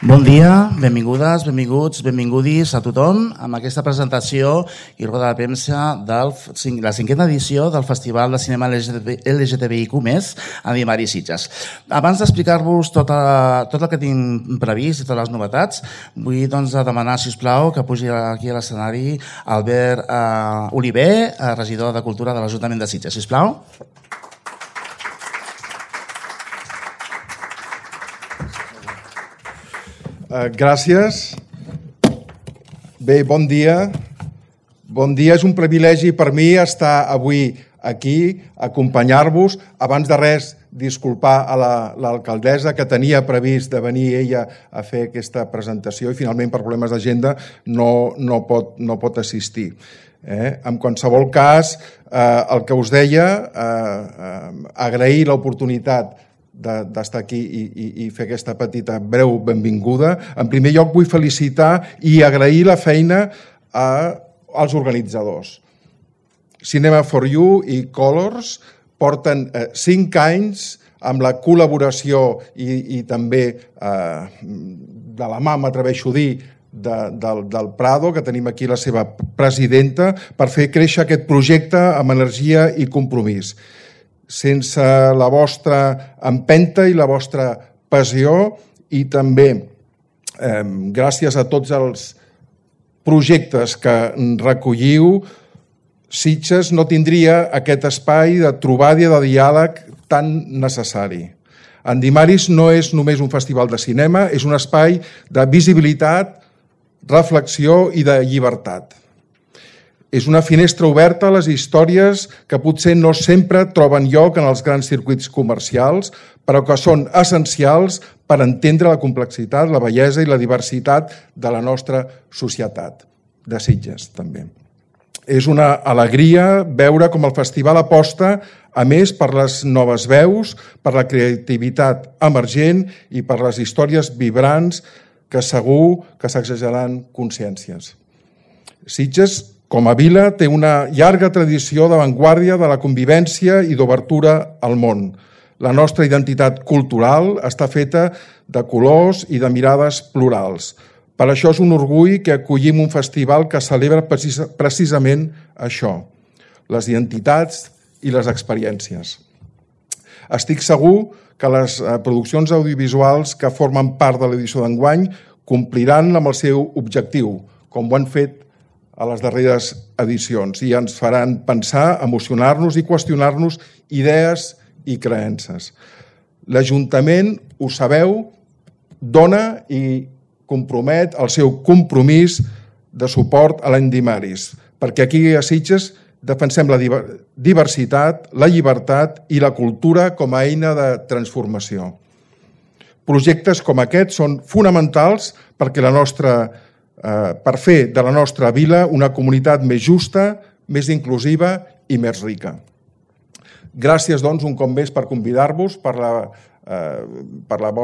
Bon dia, benvingudes, benvinguts, benvingudis a tothom amb aquesta presentació i roda de premsa de la 5a edició del Festival de Cinema LGTBIQ+, a Dimari Sitges. Abans d'explicar-vos tot el que tinc previst i totes les novetats, vull demanar, si us plau, que pugi aquí a l'escenari Albert Oliver, regidor de Cultura de l'Ajuntament de Sitges. Si us plau. Gràcies. Bé, bon dia. Bon dia. És un privilegi per mi estar avui aquí, acompanyar-vos. Abans de res, disculpar a l'alcaldessa, que tenia previst de venir ella a fer aquesta presentació i finalment per problemes d'agenda no pot assistir. En qualsevol cas, el que us deia, agrair l'oportunitat d'estar aquí i fer aquesta petita breu benvinguda. En primer lloc vull felicitar i agrair la feina als organitzadors. Cinema for You i Colors porten 5 anys amb la col·laboració i també de la mà, m'atreveixo a dir, del Prado, que tenim aquí la seva presidenta, per fer créixer aquest projecte amb energia i compromís. Sense la vostra empenta i la vostra passió i també gràcies a tots els projectes que recolliu, Sitges no tindria aquest espai de trobada i de diàleg tan necessari. En Dimaris no és només un festival de cinema, és un espai de visibilitat, reflexió i de llibertat. És una finestra oberta a les històries que potser no sempre troben lloc en els grans circuits comercials, però que són essencials per entendre la complexitat, la bellesa i la diversitat de la nostra societat, de Sitges també. És una alegria veure com el festival aposta, a més, per les noves veus, per la creativitat emergent i per les històries vibrants que segur que sacsejaran consciències. Sitges, com a vila, té una llarga tradició d'avantguàrdia de la convivència i d'obertura al món. La nostra identitat cultural està feta de colors i de mirades plurals. Per això és un orgull que acollim un festival que celebra precisament això, les identitats i les experiències. Estic segur que les produccions audiovisuals que formen part de l'edició d'enguany compliran amb el seu objectiu, com ho han fet a les darreres edicions, i ens faran pensar, emocionar-nos i qüestionar-nos idees i creences. L'Ajuntament, ho sabeu, dona i compromet el seu compromís de suport a l'any Dimaris, perquè aquí a Sitges defensem la diversitat, la llibertat i la cultura com a eina de transformació. Projectes com aquests són fonamentals per fer de la nostra vila una comunitat més justa, més inclusiva i més rica. Gràcies, doncs, un cop més per convidar-vos, pel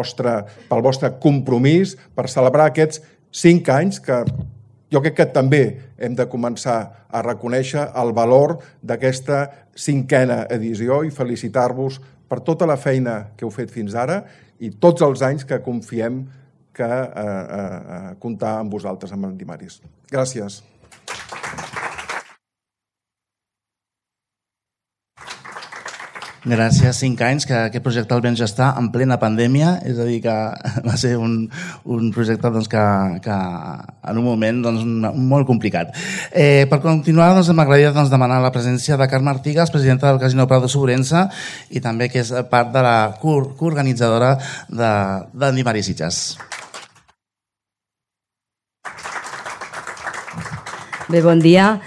vostre compromís, per celebrar aquests 5 anys que jo crec que també hem de començar a reconèixer el valor d'aquesta 5a edició i felicitar-vos per tota la feina que heu fet fins ara i tots els anys que confiem que comptar amb vosaltres, amb en Dimaris. Gràcies. Gràcies. 5 anys que aquest projecte el vam gestar en plena pandèmia, és a dir, que va ser un projecte que en un moment molt complicat. Per continuar, m'agradaria demanar la presència de Carme Artigas, presidenta del Casino Prado Sobrense i també que és part de la coorganitzadora de Dimaris Sitges. Bé, bon dia.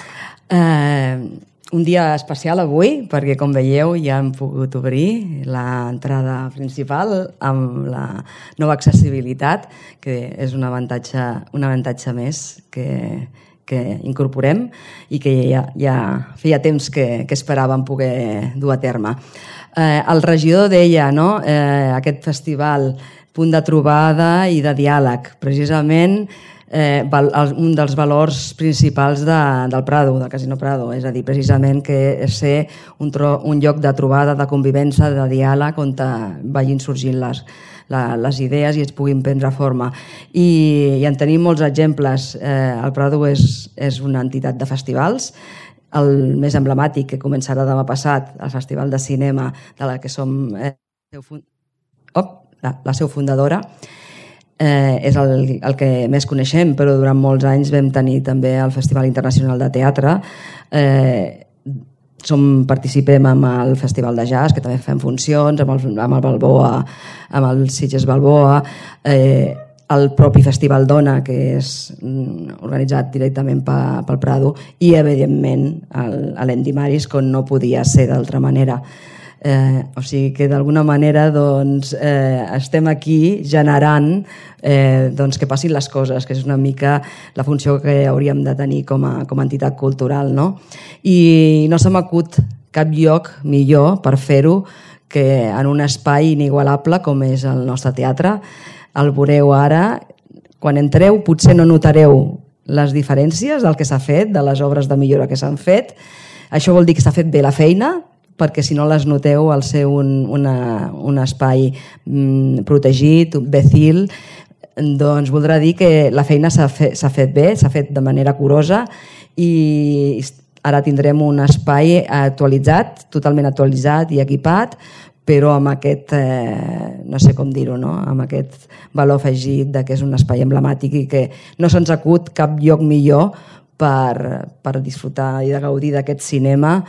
Un dia especial avui, perquè com veieu ja hem pogut obrir l'entrada principal amb la nova accessibilitat, que és un avantatge més que incorporem i que ja feia temps que esperàvem poder dur a terme. El regidor deia, no?, aquest festival, punt de trobada i de diàleg. Precisament un dels valors principals del Prado, del Casino Prado, és a dir, precisament que és ser un lloc de trobada, de convivència, de diàleg, on vagin sorgint les idees i es puguin prendre forma. I en tenim molts exemples. El Prado és una entitat de festivals, el més emblemàtic, que començarà demà passat, el Festival de Cinema, de la que som la seu fundadora, és el que més coneixem, però durant molts anys vam tenir també el Festival Internacional de Teatre, participem amb el Festival de Jazz, que també fem funcions, amb el Balboa, amb el Sitges Balboa, el propi Festival Dona, que és organitzat directament pel Prado, i evidentment l'Endimaris, com no podia ser d'altra manera. O sigui que d'alguna manera estem aquí generant que passin les coses, que és una mica la funció que hauríem de tenir com a entitat cultural, no? I no se m'acut cap lloc millor per fer-ho que en un espai inigualable com és el nostre teatre. El veureu ara, quan entreu potser no notareu les diferències del que s'ha fet, de les obres de millora que s'han fet. Això vol dir que s'ha fet bé la feina, perquè si no les noteu al ser un espai protegit, becil, doncs voldrà dir que la feina s'ha fet bé, s'ha fet de manera curosa i ara tindrem un espai actualitzat, totalment actualitzat i equipat, però amb aquest, no sé com dir-ho, no? Amb aquest valor afegit que és un espai emblemàtic i que no se'ns acut cap lloc millor per disfrutar i de gaudir d'aquest cinema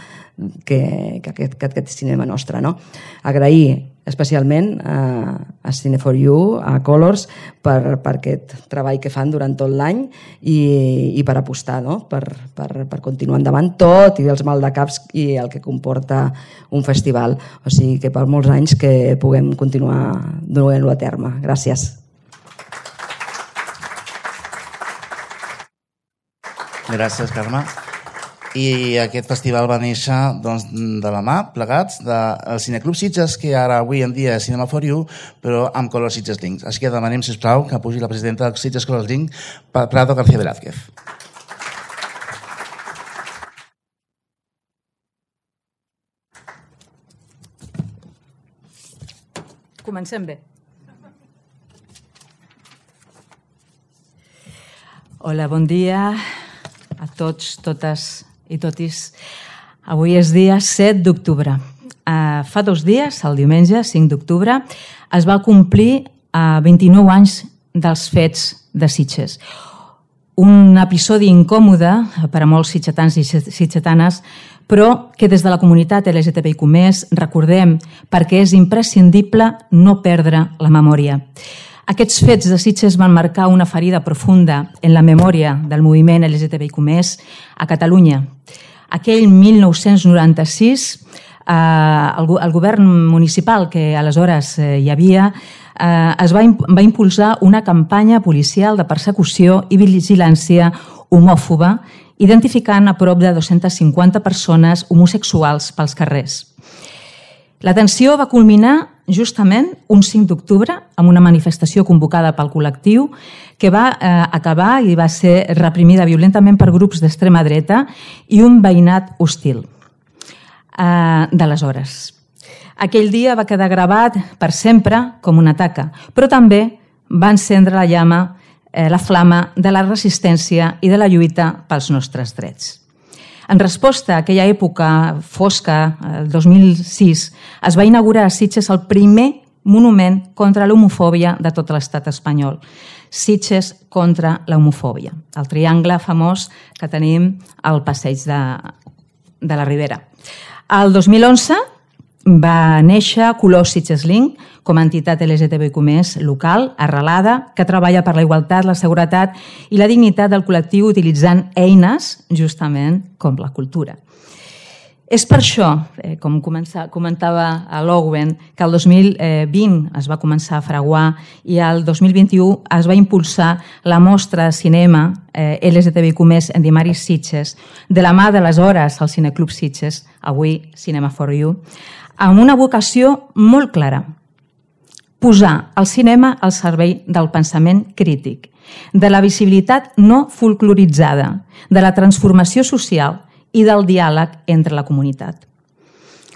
que aquest cinema nostre, no? Agrair especialment a Cine4U, a Colors, per aquest treball que fan durant tot l'any i per apostar, no? Per continuar endavant tot i els maldecaps i el que comporta un festival. O sigui que per molts anys que puguem continuar duent-lo a terme. Gràcies. Gràcies, Carme. I aquest festival va néixer de la mà, plegats, del Cineclub Sitges, que ara avui en dia és Cinema4U, però amb Colors Sitges Link. Així que demanem, sisplau, que pugi la presidenta del Sitges Colors Link, Prado García Velázquez. Comencem bé. Hola, bon dia a tots, totes i totis. Avui és dia 7 d'octubre. Fa 2 dies, el diumenge 5 d'octubre, es va complir 29 anys dels fets de Sitges. Un episodi incòmode per a molts sitgetans i sitgetanes, però que des de la comunitat LGTBIQ+ recordem perquè és imprescindible no perdre la memòria. Aquests fets de Sitges van marcar una ferida profunda en la memòria del moviment LGTBIQ+ a Catalunya. Aquell 1996, el govern municipal que aleshores hi havia va impulsar una campanya policial de persecució i vigilància homòfoba, identificant a prop de 250 persones homosexuals pels carrers. La tensió va culminar justament un 5 d'octubre amb una manifestació convocada pel col·lectiu que va acabar i va ser reprimida violentament per grups d'extrema dreta i un veïnat hostil d'aleshores. Aquell dia va quedar gravat per sempre com una taca, però també va encendre la llama, la flama de la resistència i de la lluita pels nostres drets. En resposta a aquella època fosca, el 2006, es va inaugurar a Sitges el primer monument contra l'homofòbia de tot l'estat espanyol. Sitges contra l'homofòbia. El triangle famós que tenim al passeig de la Ribera. El 2011 va néixer Colors Sitges Link com a entitat LGTBIQ+ local, arrelada, que treballa per la igualtat, la seguretat i la dignitat del col·lectiu utilitzant eines, justament, com la cultura. És per això, com comentava l'Owen, que el 2020 es va començar a fraguar i el 2021 es va impulsar la mostra de cinema LGTBIQ+ Endimaris Sitges, de la mà d'aleshores el Cineclub Sitges, avui Cinema4U, amb una vocació molt clara: posar el cinema al servei del pensament crític de la visibilitat no folcloritzada, de la transformació social i del diàleg entre la comunitat.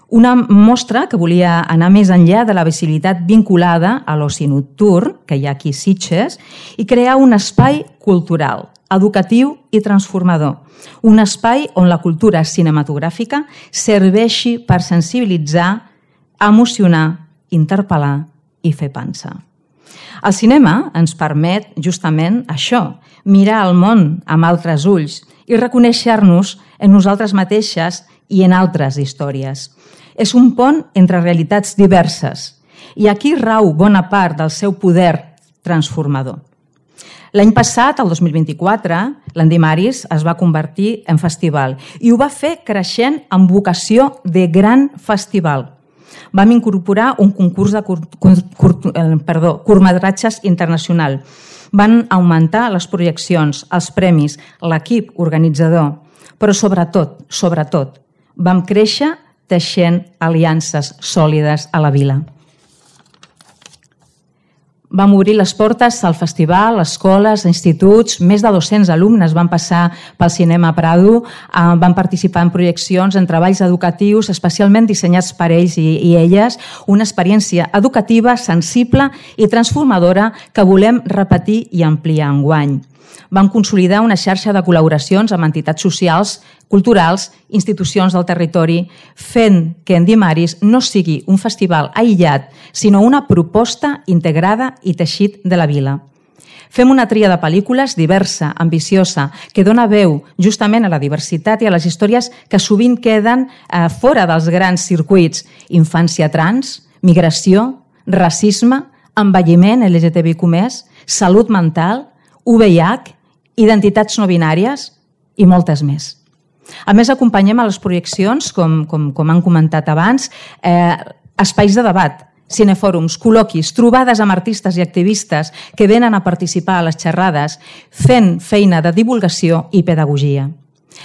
Una mostra que volia anar més enllà de la visibilitat vinculada a l'oci nocturn, que hi ha aquí a Sitges, i crear un espai cultural, educatiu i transformador. Un espai on la cultura cinematogràfica serveixi per sensibilitzar, emocionar, interpel·lar i fer pensar. El cinema ens permet justament això, mirar el món amb altres ulls i reconèixer-nos en nosaltres mateixes i en altres històries. És un pont entre realitats diverses i aquí rau bona part del seu poder transformador. L'any passat, el 2024, l'Andimaris es va convertir en festival i ho va fer creixent amb vocació de gran festival. Vam incorporar un concurs de curtmetratges internacional. Van augmentar les projeccions, els premis, l'equip organitzador, però sobretot, vam créixer teixent aliances sòlides a la vila. Vam obrir les portes al festival, escoles, instituts, més de 200 alumnes van passar pel Cinema Prado, van participar en projeccions, en treballs educatius, especialment dissenyats per ells i elles, una experiència educativa, sensible i transformadora que volem repetir i ampliar enguany. Vam consolidar una xarxa de col·laboracions amb entitats socials, culturals, institucions del territori, fent que Andimaris no sigui un festival aïllat, sinó una proposta integrada i teixit de la vila. Fem una tria de pel·lícules diversa, ambiciosa, que dona veu justament a la diversitat i a les històries que sovint queden fora dels grans circuits. Infància trans, migració, racisme, envelliment LGTBIQ+, salut mental, VIH, identitats no binàries i moltes més. A més, acompanyem a les projeccions, com han comentat abans, espais de debat, cinefòrums, col·loquis, trobades amb artistes i activistes que venen a participar a les xerrades, fent feina de divulgació i pedagogia.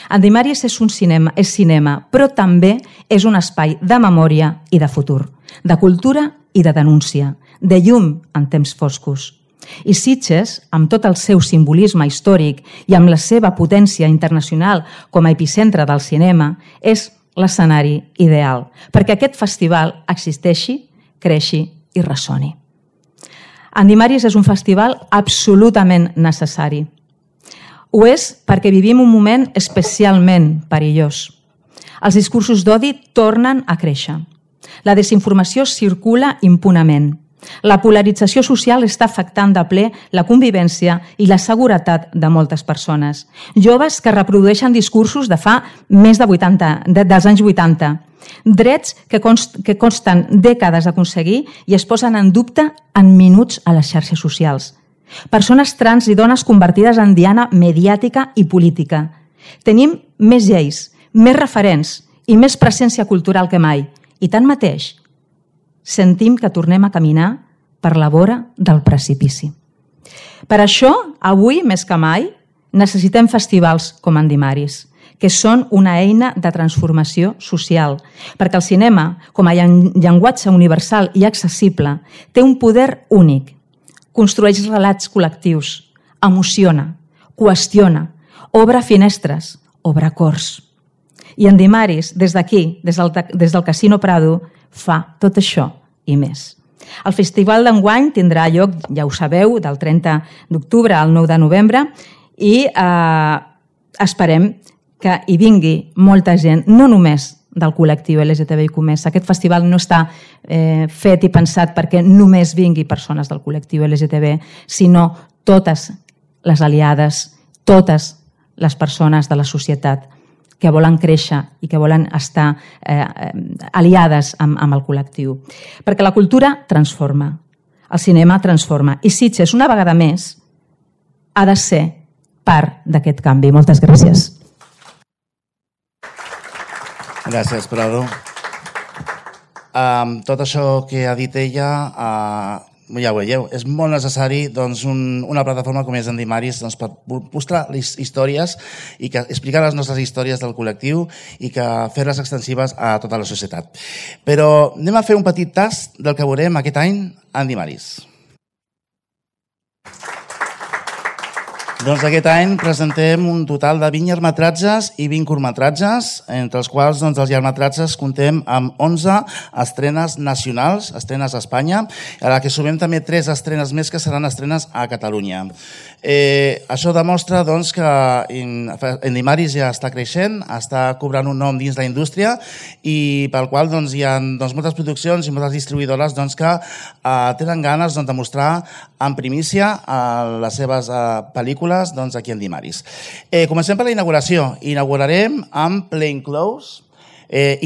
Andimaris és cinema, però també és un espai de memòria i de futur, de cultura i de denúncia, de llum en temps foscos. I Sitges, amb tot el seu simbolisme històric i amb la seva potència internacional com a epicentre del cinema, és l'escenari ideal perquè aquest festival existeixi, creixi i ressoni. Andimaris és un festival absolutament necessari. Ho és perquè vivim un moment especialment perillós. Els discursos d'odi tornen a créixer. La desinformació circula impunement. La polarització social està afectant de ple la convivència i la seguretat de moltes persones. Joves que reprodueixen discursos de fa més de dels anys 80. Drets que costen dècades d'aconseguir i es posen en dubte en minuts a les xarxes socials. Persones trans i dones convertides en diana mediàtica i política. Tenim més lleis, més referents i més presència cultural que mai. I tanmateix, sentim que tornem a caminar per la vora del precipici. Per això, avui, més que mai, necessitem festivals com Andimaris, que són una eina de transformació social, perquè el cinema, com a llenguatge universal i accessible, té un poder únic. Construeix relats col·lectius, emociona, qüestiona, obre finestres, obre cors. I Andimaris, des d'aquí, des del Casino Prado, fa tot això i més. El festival d'enguany tindrà lloc, ja ho sabeu, del 30 d'octubre al 9 de novembre i esperem que hi vingui molta gent, no només del col·lectiu LGTBIQ+. Aquest festival no està fet i pensat perquè només vingui persones del col·lectiu LGTB, sinó totes les aliades, totes les persones de la societat que volen créixer i que volen estar aliades amb el col·lectiu. Perquè la cultura transforma, el cinema transforma, i Sitges, una vegada més, ha de ser part d'aquest canvi. Moltes gràcies. Gràcies, Prado. Tot això que ha dit ella, ja ho veieu, és molt necessari una plataforma com és Andimaris per mostrar les històries i explicar les nostres històries del col·lectiu i fer-les extensives a tota la societat. Però anem a fer un petit tast del que veurem aquest any a Andimaris. Doncs aquest any presentem un total de 20 llargmetratges i 20 curtmetratges, entre els quals doncs, els llargmetratges comptem amb 11 estrenes nacionals, estrenes a Espanya, a la que sumem també 3 estrenes més que seran estrenes a Catalunya. Això demostra doncs, que Endimaris ja està creixent, està cobrant un nom dins la indústria i pel qual doncs, hi ha moltes produccions i moltes distribuïdores que tenen ganes de mostrar en primícia les seves pel·lícules aquí a Endimaris. Comencem per la inauguració. Inaugurarem amb Plain Clothes,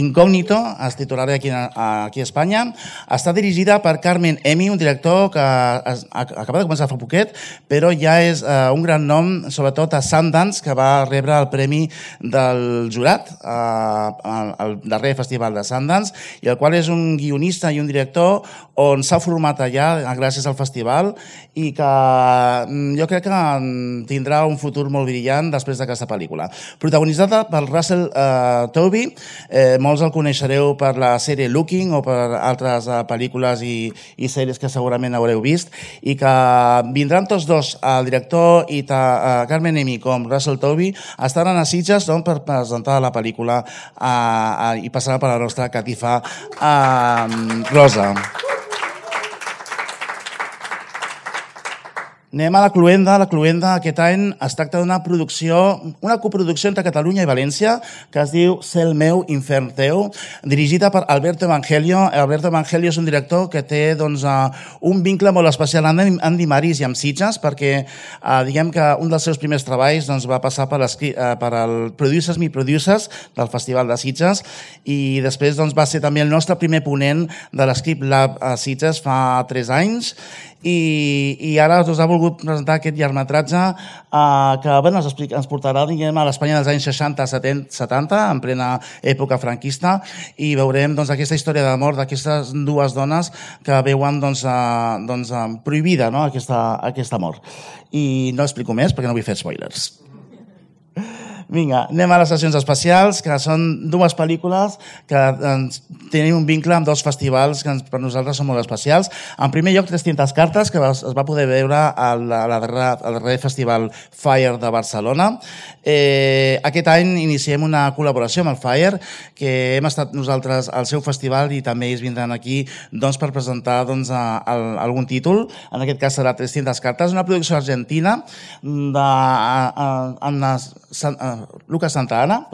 Incógnito, es titularà aquí a Espanya. Està dirigida per Carmen Emi, un director que acaba de començar fa poquet, però ja és un gran nom, sobretot a Sundance, que va rebre el premi del jurat al darrer festival de Sundance, i el qual és un guionista i un director on s'ha format allà gràcies al festival i que jo crec que tindrà un futur molt brillant després d'aquesta pel·lícula. Protagonitzada per Russell Tovey, molts el coneixereu per la sèrie Looking o per altres pel·lícules i sèries que segurament haureu vist, i que vindran tots dos, el director i Carmen Emi com Russell Tovey, estaran a Sitges per presentar la pel·lícula i passarà per la nostra catifa rosa. Anem a la Cluenda. La Cluenda aquest any es tracta d'una coproducció entre Catalunya i València que es diu Cel meu, infern teu, dirigida per Alberto Evangelio. Alberto Evangelio és un director que té un vincle molt especial amb Endimaris i amb Sitges, perquè diguem que un dels seus primers treballs va passar per el Producers Me Producers del Festival de Sitges i després va ser també el nostre primer ponent de l'Script Lab a Sitges fa 3 anys i ara us ha volgut presentar aquest llargmetratge que ens portarà a l'Espanya dels anys 60-70, en plena època franquista, i veurem aquesta història d'amor d'aquestes dues dones que veuen prohibida aquest amor. I no explico més perquè no vull fer spoilers. Vinga, anem a les sessions especials, que són 2 pel·lícules que tenim un vincle amb 2 festivals que per nosaltres són molt especials. En primer lloc, 300 cartes, que es va poder veure al darrer festival Fire de Barcelona. Aquest any iniciem una col·laboració amb el Fire, que hem estat nosaltres al seu festival i també ells vindran aquí per presentar algun títol. En aquest cas serà 300 cartes, una producció argentina Lucas Santa Ana,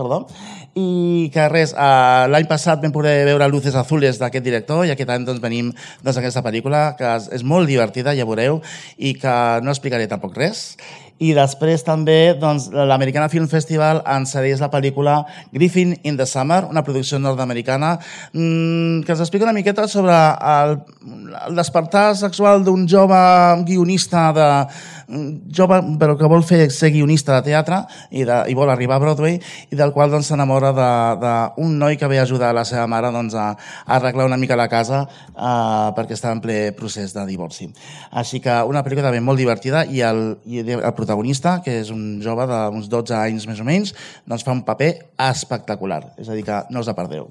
i que l'any passat vam poder veure Luces Azules d'aquest director i aquest any venim d'aquesta pel·lícula que és molt divertida, ja veureu, i que no explicaré tampoc res. I després també l'Americana Film Festival ens cedeix la pel·lícula Griffin in the Summer, una producció nord-americana que ens explica una miqueta sobre el despertar sexual d'un jove guionista jove però que vol ser guionista de teatre i vol arribar a Broadway i del qual s'enamora d'un noi que ve a ajudar la seva mare a arreglar una mica la casa perquè està en ple procés de divorci. Així que una pel·lícula també molt divertida i el protagonista, que és un jove d'uns 12 anys més o menys, fa un paper espectacular. És a dir, que no us la perdeu.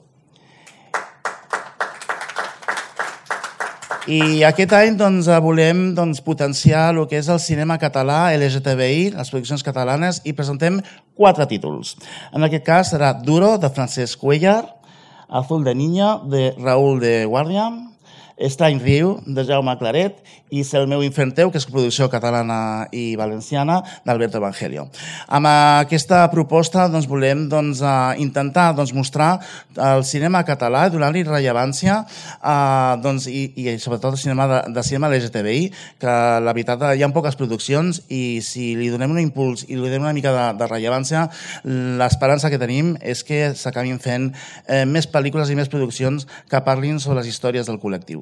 I aquest any volem potenciar el que és el cinema català LGTBI, les produccions catalanes, i presentem 4 títols. En aquest cas serà Duro, de Francesc Cuellar, Azul de Niño, de Raúl de Guàrdia, Estrany Riu, de Jaume Claret, i Cel meu, infern teu, que és producció catalana i valenciana, d'Alberto Evangelio. Amb aquesta proposta volem intentar mostrar el cinema català, donar-li rellevància i sobretot el cinema LGTBI, que la veritat hi ha poques produccions i si li donem un impuls i li donem una mica de rellevància, l'esperança que tenim és que s'acabin fent més pel·lícules i més produccions que parlin sobre les històries del col·lectiu.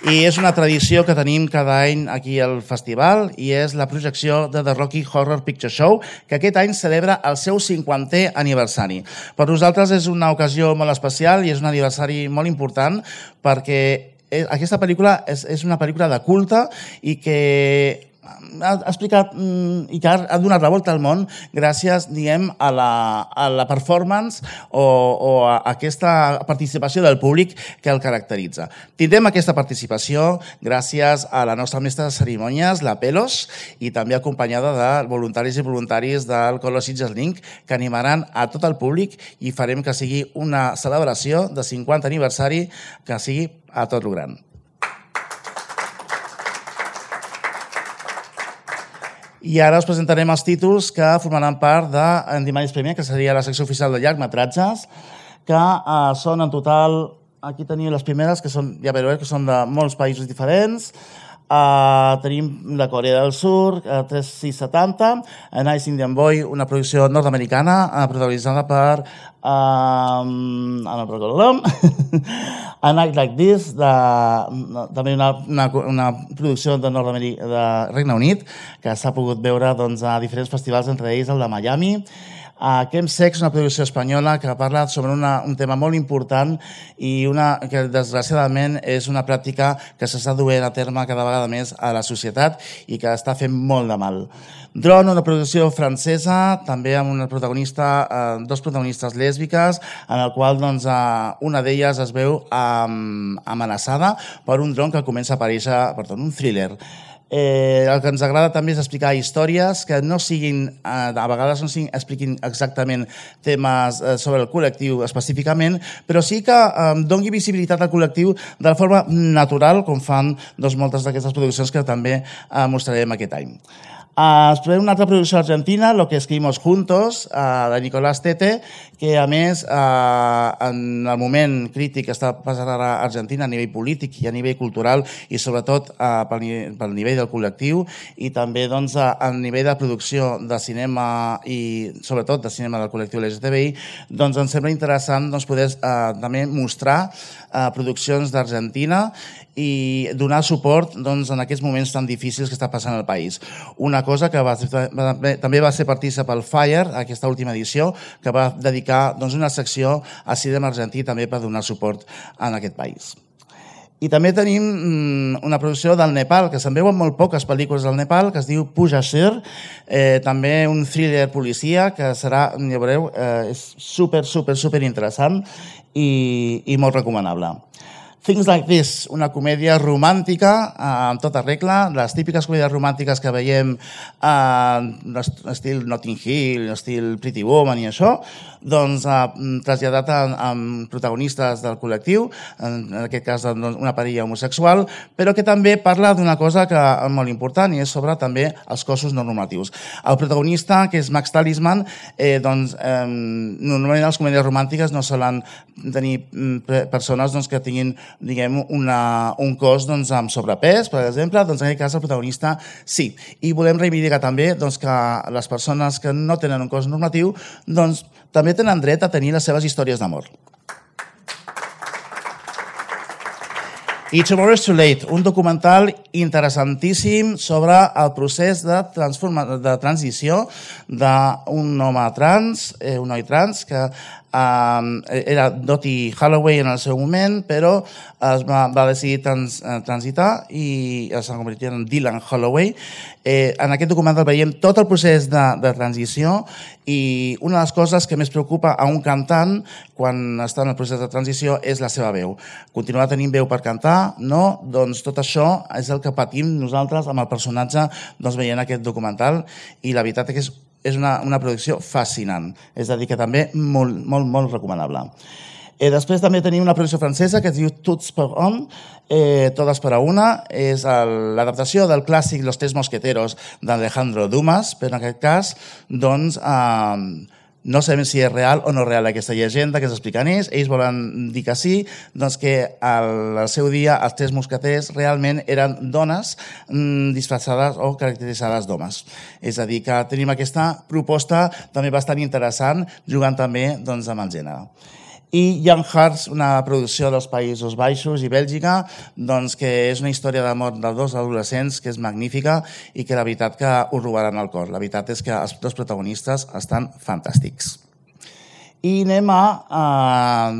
I és una tradició que tenim cada any aquí al festival i és la projecció de The Rocky Horror Picture Show, que aquest any celebra el seu 50è aniversari. Per nosaltres és una ocasió molt especial i és un aniversari molt important perquè aquesta pel·lícula és una pel·lícula de culte i que ha explicat i que ha donat la volta al món gràcies, diguem, a la performance o a aquesta participació del públic que el caracteritza. Tindrem aquesta participació gràcies a la nostra mestra de cerimònies, la Pelos, i també acompanyada de voluntaris i voluntaris del Colo Sitges Link, que animaran a tot el públic i farem que sigui una celebració de 50 aniversari que sigui a tot lo gran. I ara us presentarem els títols que formaran part d'Endimaris Premier, que seria la secció oficial de llargmetratges, que són en total, aquí teniu les primeres, que són, ja veureu que són de molts països diferents. Tenim la Corea del Sur, 3670, A Nice Indian Boy, una producció nord-americana protagonitzada per A Night Like This, també una producció de Regne Unit, que s'ha pogut veure a diferents festivals, entre ells el de Miami. Chemsex, una producció espanyola que parla sobre un tema molt important i que desgraciadament és una pràctica que s'està duent a terme cada vegada més a la societat i que està fent molt de mal. Drone, una producció francesa, també amb dos protagonistes lèsbiques, en el qual una d'elles es veu amenaçada per un dron que comença a aparèixer, un thriller. El que ens agrada també és explicar històries que no siguin, a vegades no expliquin exactament temes sobre el col·lectiu específicament, però sí que doni visibilitat al col·lectiu de la forma natural, com fan moltes d'aquestes produccions que també mostrarem aquest any. Es preveu una altra producció argentina, Lo que escribimos juntos, de Nicolás Tete, que a més, en el moment crític que està passant ara a Argentina a nivell polític i a nivell cultural i sobretot pel nivell del col·lectiu i també a nivell de producció de cinema i sobretot de cinema del col·lectiu LGTBI, ens sembla interessant poder també mostrar produccions d'Argentina i donar suport en aquests moments tan difícils que està passant al país. Una cosa que també va ser partícip al Fire, aquesta última edició, que va dedicar una secció a cinema argentí també per donar suport en aquest país. I també tenim una producció del Nepal, que se'n veuen molt poques pel·lícules del Nepal, que es diu Puja Sir, també un thriller policia, que serà, ja veureu, és super interessant i molt recomanable. Things Like This, una comèdia romàntica en tota regla, les típiques comèdies romàntiques que veiem estil Notting Hill, estil Pretty Woman i això, traslladat amb protagonistes del col·lectiu, en aquest cas una parella homosexual, però que també parla d'una cosa que és molt important i és sobre també els cossos no normatius. El protagonista, que és Max Talisman, normalment les comèdies romàntiques no solen tenir persones que tinguin un cos amb sobrepès, per exemple, en aquest cas el protagonista sí. I volem reivindicar també que les persones que no tenen un cos normatiu també tenen dret a tenir les seves històries d'amor. I Tomorrow is Too Late, un documental interessantíssim sobre el procés de transició d'un home trans, un noi trans, que era Dottie Holloway en el seu moment, però va decidir transitar i es va convertir en Dylan Holloway. En aquest documental veiem tot el procés de transició i una de les coses que més preocupa a un cantant quan està en el procés de transició és la seva veu. Continuar tenint veu per cantar? No? Doncs tot això és el que patim nosaltres amb el personatge veient aquest documental i la veritat és que és una producció fascinant, és a dir, que també molt recomanable. Després també tenim una producció francesa que es diu Toutes pour un, Todas para una, és l'adaptació del clàssic Los Tres Mosqueteros d'Alejandro Dumas, però en aquest cas, no sabem si és real o no real aquesta llegenda que s'explica en ells. Ells volen dir que sí, que al seu dia els tres mosqueters realment eren dones disfressades o caracteritzades d'homes. És a dir, que tenim aquesta proposta també bastant interessant, jugant també amb el gènere. I Young Hearts, una producció dels Països Baixos i Bèlgica, que és una història d'amor de dos adolescents que és magnífica i que la veritat que us robaran el cor. La veritat és que els dos protagonistes estan fantàstics. i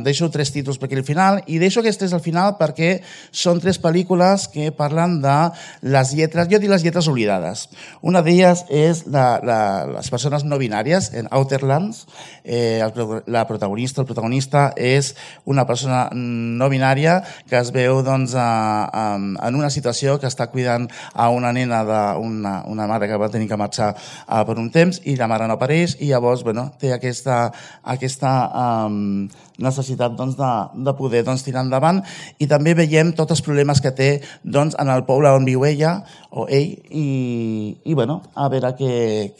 deixo 3 títols per aquí al final, i deixo aquests 3 al final perquè són 3 pel·lícules que parlen de les lletres, jo dic les lletres oblidades. Una d'elles és les persones no binàries, en Outer Lands. El protagonista és una persona no binària que es veu doncs, en una situació que està cuidant a una nena d'una mare que va tenir que marxar per un temps i la mare no apareix i llavors té aquesta necessitat de poder tirar endavant, i també veiem tots els problemes que té en el poble on viu ella o ell, i a veure què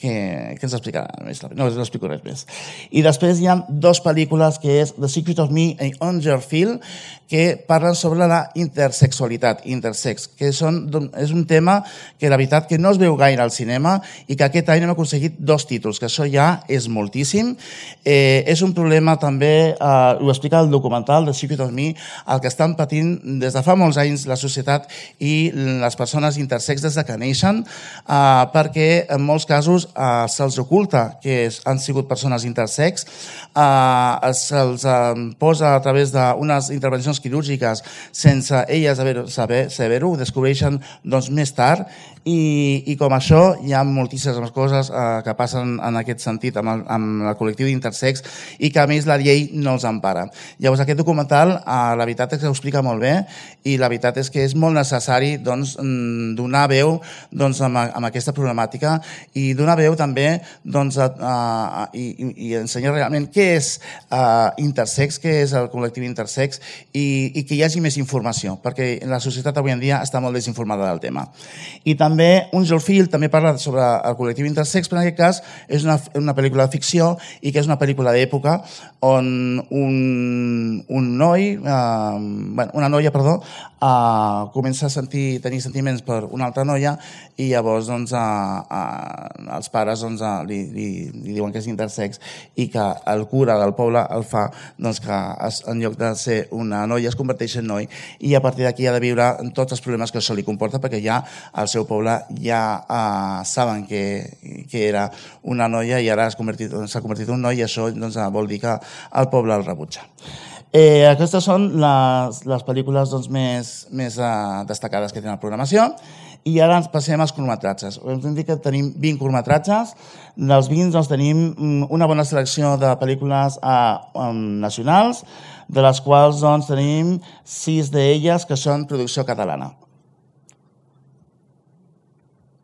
ens explicarà. No us explico res més. I després hi ha 2 pel·lícules que és The Secret of Me i Ungerfield, que parlen sobre la intersexualitat, intersex, que és un tema que la veritat que no es veu gaire al cinema i que aquest any hem aconseguit 2 títols, que això ja és moltíssim. És un problema també, ho explica el documental The Secret of Me, el que estan patint des de fa molts anys la societat i les persones intersex des de que neixen, perquè en molts casos se'ls oculta que han sigut persones intersex, se'ls posa a través d'unes intervencions quirúrgiques sense elles saber-ho, ho descobreixen més tard, i com això hi ha moltíssimes coses que passen en aquest sentit amb el col·lectiu d'intersex i que a més la llei no els empara. Llavors aquest documental la veritat és que ho explica molt bé, i la veritat és que és molt necessari donar veu amb aquesta problemàtica i donar veu també i ensenyar realment què és intersex, què és el col·lectiu intersex, i que hi hagi més informació, perquè la societat avui en dia està molt desinformada del tema. I també Ungerfield també parla sobre el col·lectiu intersex, però en aquest cas és una pel·lícula de ficció i que és una pel·lícula d'època on una noia comença a tenir sentiments per una altra noia, i llavors els pares li diuen que és intersex i que el cura del poble el fa que en lloc de ser una noia es converteix en noi, i a partir d'aquí ha de viure tots els problemes que això li comporta, perquè ja al seu poble ja saben que era una noia i ara s'ha convertit en un noi, i això vol dir que el poble el rebutja. Aquestes són les pel·lícules més destacades que tenen la programació, i ara ens passem als curtmetratges. Hem dit que tenim 20 curtmetratges. Dels 20 tenim una bona selecció de pel·lícules nacionals, de les quals tenim 6 d'elles que són producció catalana.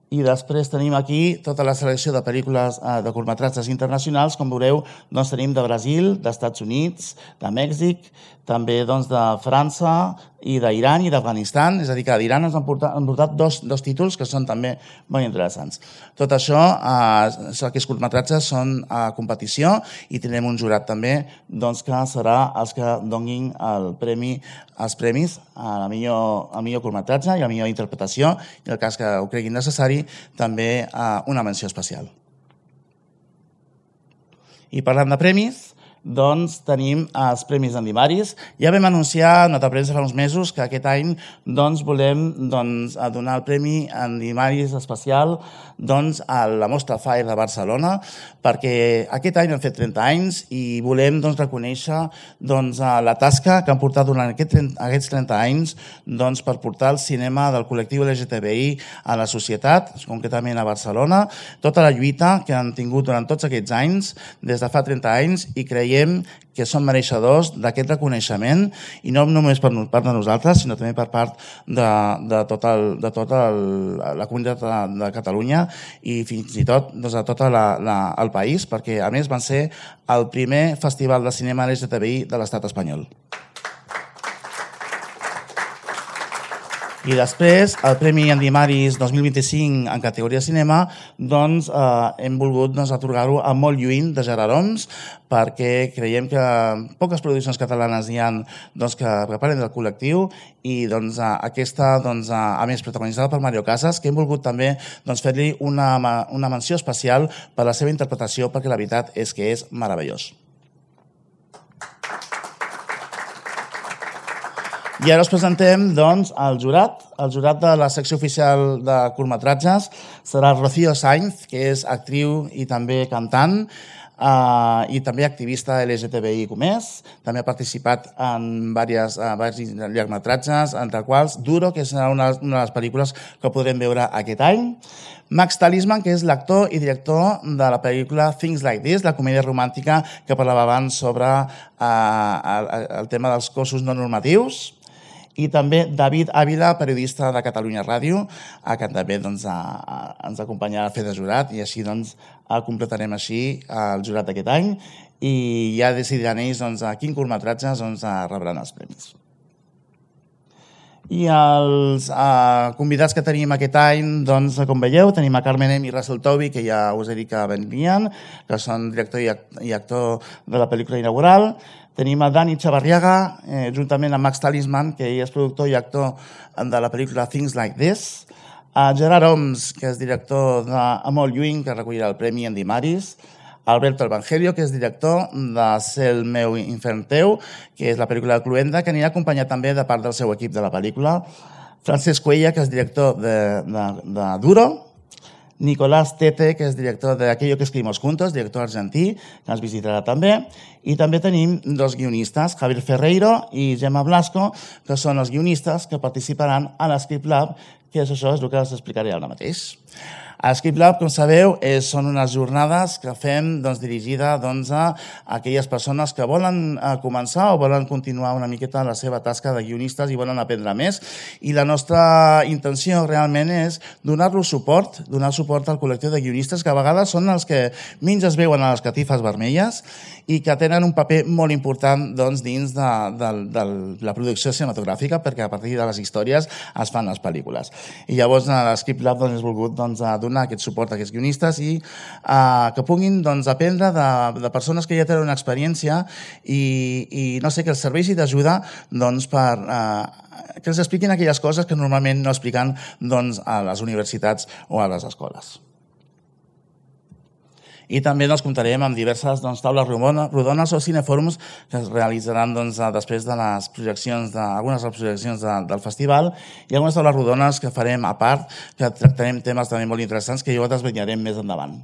I després tenim aquí tota la selecció de pel·lícules de curtmetratges internacionals. Com veureu, tenim de Brasil, dels Estats Units, de Mèxic, també de França i d'Iran i d'Afganistan. És a dir, que d'Iran ens han portat 2 títols que són també molt interessants. Tot això, aquests curtmetratges són a competició, i tindrem un jurat també que serà els que donin els premis al millor curtmetratge i a la millor interpretació, i en el cas que ho creguin necessari també una menció especial. I parlant de premis, tenim els Premis Andimaris. Ja vam anunciar en nota premsa fa uns mesos que aquest any volem donar el Premi Andimaris especial a la Mostra Fire de Barcelona, perquè aquest any hem fet 30 anys i volem reconèixer la tasca que han portat durant aquests 30 anys per portar el cinema del col·lectiu LGTBI a la societat, concretament a Barcelona, tota la lluita que han tingut durant tots aquests anys, des de fa 30 anys, i creiem que són mereixedors d'aquest reconeixement, i no només per part de nosaltres, sinó també per part de tota la comunitat de Catalunya i fins i tot de tot el país, perquè a més van ser el primer festival de cinema LGTBI de l'estat espanyol. I després, el Premi Andimaris 2025 en categoria cinema, hem volgut atorgar-ho a Molt lluint, de Gerard Homs, perquè creiem que poques produccions catalanes hi ha que parlen del col·lectiu, i aquesta, a més, protagonitzada per Mario Casas, que hem volgut també fer-li una menció especial per la seva interpretació, perquè la veritat és que és meravellós. I ara us presentem el jurat. El jurat de la secció oficial de curtmetratges serà Rocío Sainz, que és actriu i també cantant. i també activista LGTBI+. També ha participat en diversos llargmetratges, entre quals Duro, que serà una de les pel·lícules que podrem veure aquest any. Max Talisman, que és l'actor i director de la pel·lícula Things Like This, la comèdia romàntica que parlava abans sobre el tema dels cossos no normatius. I també David Ávila, periodista de Catalunya Ràdio, que també ens acompanyarà a fer de jurat, i així completarem així el jurat d'aquest any, i ja decidiran ells quin curtmetratges rebran els premis. I els convidats que tenim aquest any, com veieu, tenim a Carmen M. i Russell Tovey, que ja us he dit que venien, que són director i actor de la pel·lícula inaugural. Tenim a Dani Chavarriaga, juntament amb Max Talisman, que ell és productor i actor de la pel·lícula Things Like This. A Gerard Oms, que és director d'Amol Lluing, que recollirà el premi en Dimaris. Alberto Evangelio, que és director de Cel meu infern teu, que és la pel·lícula de Cluenda, que anirà acompanyat també de part del seu equip de la pel·lícula. Francesc Cuella, que és director de Duro. Nicolás Tete, que és director de Aquello que escribimos juntos, director argentí, que ens visitarà també. I també tenim dos guionistes, Javier Ferreiro i Gemma Blasco, que són els guionistes que participaran a l'Script Lab, que això és el que us explicaré ara mateix. A Script Lab, com sabeu, són unes jornades que fem dirigida a aquelles persones que volen començar o volen continuar una miqueta la seva tasca de guionistes i volen aprendre més. I la nostra intenció realment és donar-los suport, donar suport al col·lectiu de guionistes, que a vegades són els que menys es veuen a les catifes vermelles i que tenen un paper molt important dins de la producció cinematogràfica, perquè a partir de les històries es fan les pel·lícules. I llavors a l'Script Lab hem volgut donar aquest suport a aquests guionistes i que puguin aprendre de persones que ja tenen una experiència i no sé, que els serveixi d'ajuda que els expliquin aquelles coses que normalment no expliquen a les universitats o a les escoles. I també comptarem amb diverses taules rodones o cinefòrums que es realitzaran després de les projeccions, algunes de les projeccions del festival, i algunes taules rodones que farem a part, que tractarem temes també molt interessants que jo desvetllarem més endavant.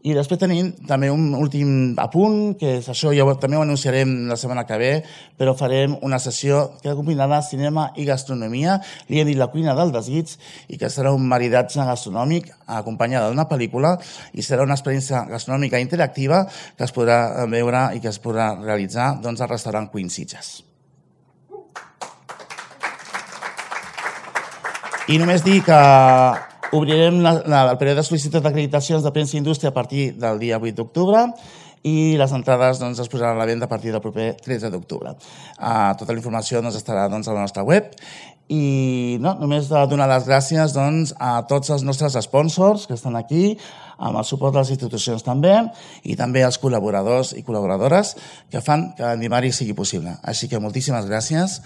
I després tenim també un últim apunt, que és això, ja també ho anunciarem la setmana que ve, però farem una sessió que combinarà cinema i gastronomia, li hem dit la cuina del desig, i que serà un maridatge gastronòmic acompanyada d'una pel·lícula, i serà una experiència gastronòmica interactiva que es podrà veure i que es podrà realitzar al restaurant Queen Sitges. I només dir que obrirem el període de sol·licitud d'acreditacions de premsa i indústria a partir del dia 8 d'octubre i les entrades es posaran a la venda a partir del proper 13 d'octubre. Tota la informació estarà a la nostra web. I només donar les gràcies a tots els nostres sponsors que estan aquí, amb el suport de les institucions també, i també als col·laboradors i col·laboradores que fan que Endimari sigui possible. Així que moltíssimes gràcies.